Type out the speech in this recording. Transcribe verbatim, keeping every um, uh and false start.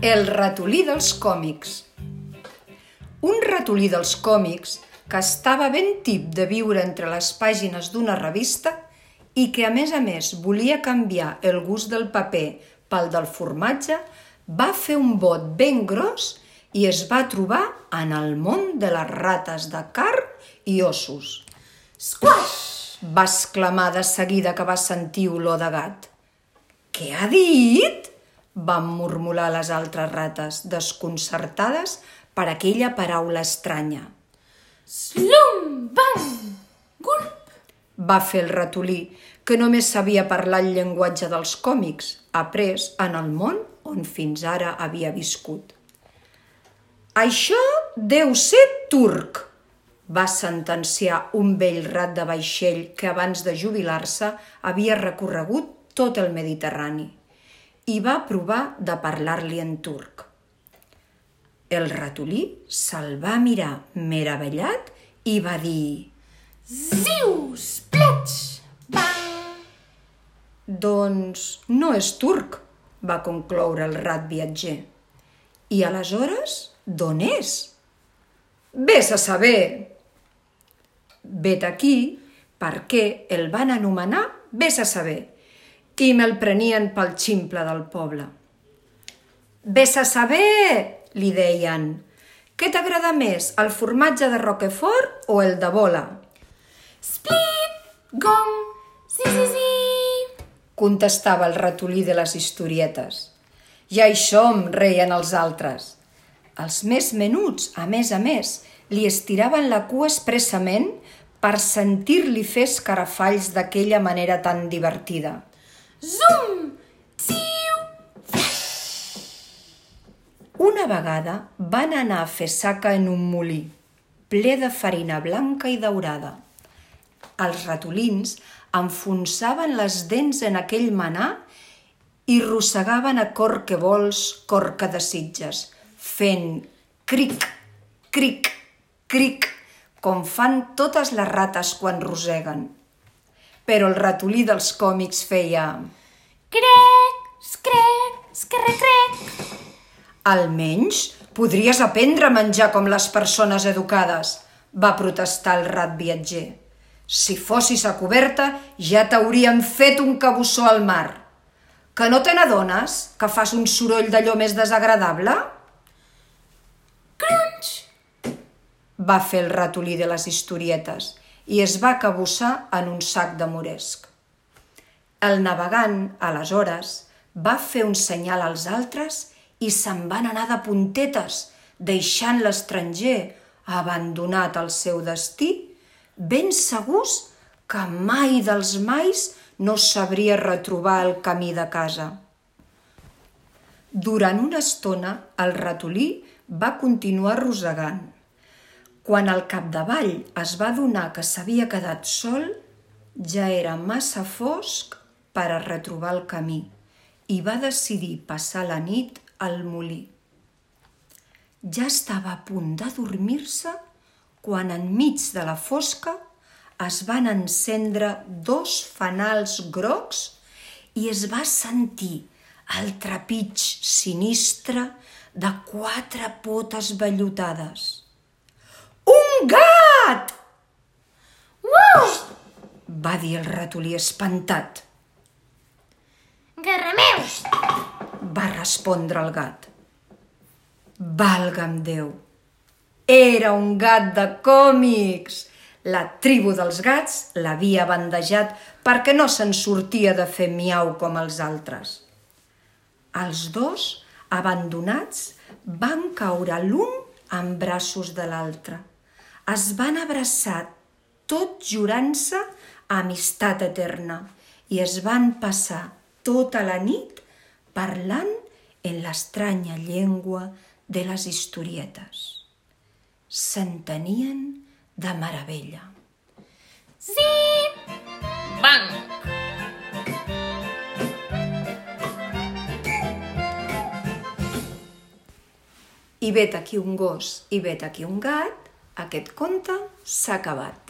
El ratolí dels còmics. Un ratolí dels còmics que estava ben tip de viure entre les pàgines d'una revista i que, a més a més, volia canviar el gust del paper pel del formatge, va fer un bot ben gros i es va trobar en el món de les rates de carn i ossos. Squash! Va exclamar de seguida que va sentir olor de gat. Què ha dit? Van murmurar les altres rates, desconcertades per aquella paraula estranya. Slum! Bang! Gulp! Va fer el ratolí, que només sabia parlar el llenguatge dels còmics, après en el món on fins ara havia viscut. Això deu ser turc, va sentenciar un vell rat de vaixell que abans de jubilar-se havia recorregut tot el Mediterrani i va provar de parlar-li en turc. El ratolí se'l va mirar meravellat i va dir: Ziu! Splitx! Bang! Doncs no és turc, va concloure el rat viatger. I aleshores, d'on és? Ves a saber! Vet aquí perquè el van anomenar Ves a saber i me'l prenien pel ximple del poble. Ves a saber, li deien, què t'agrada més, el formatge de Roquefort o el de bola? Split! Gong! Sí, sí, sí! Contestava el ratolí de les historietes. Ja hi som, reien els altres. Els més menuts, a més a més, li estiraven la cua expressament per sentir-li fer escarafalls d'aquella manera tan divertida. Zum! Tsiu! Una vegada van anar a fer saca en un molí, ple de farina blanca i daurada. Els ratolins enfonsaven les dents en aquell menà i rossegaven a cor que vols, cor que desitges, fent cric, cric, cric, com fan totes les rates quan roseguen. Però el ratolí dels còmics feia Crec! Screc! Scarrecrec! Almenys podries aprendre a menjar com les persones educades, va protestar el rat viatger. Si fossis a coberta ja t'haurien fet un cabussó al mar. Que no te n'adones que fas un soroll d'allò més desagradable? Crunch! Va fer el ratolí de les historietes i es va cabussar en un sac de moresc. El navegant, aleshores, va fer un senyal als altres i se'n van anar de puntetes, deixant l'estranger abandonat al seu destí, ben segurs que mai dels mais no sabria retrobar el camí de casa. Durant una estona, el ratolí va continuar rosegant. Quan al capdavall es va adonar que s'havia quedat sol, ja era massa fosc per a retrobar el camí i va decidir passar la nit al molí. Ja estava a punt de dormir-se quan enmig de la fosca es van encendre dos fanals grocs i es va sentir el trepig sinistre de quatre potes vellutades. Un gat! Uau! Va dir el ratolí espantat. Garrameus! Va respondre el gat. Valga'm Déu! Era un gat de còmics! La tribu dels gats l'havia bandejat perquè no se'n sortia de fer miau com els altres. Els dos, abandonats, van caure l'un en braços de l'altre. Es van abraçar tot jurant-se amistat eterna i es van passar tota la nit parlant en l'estranya llengua de les historietes. S'entenien de meravella. Zip! Bang! I vet aquí un gos i vet aquí un gat, aquest conte s'ha acabat.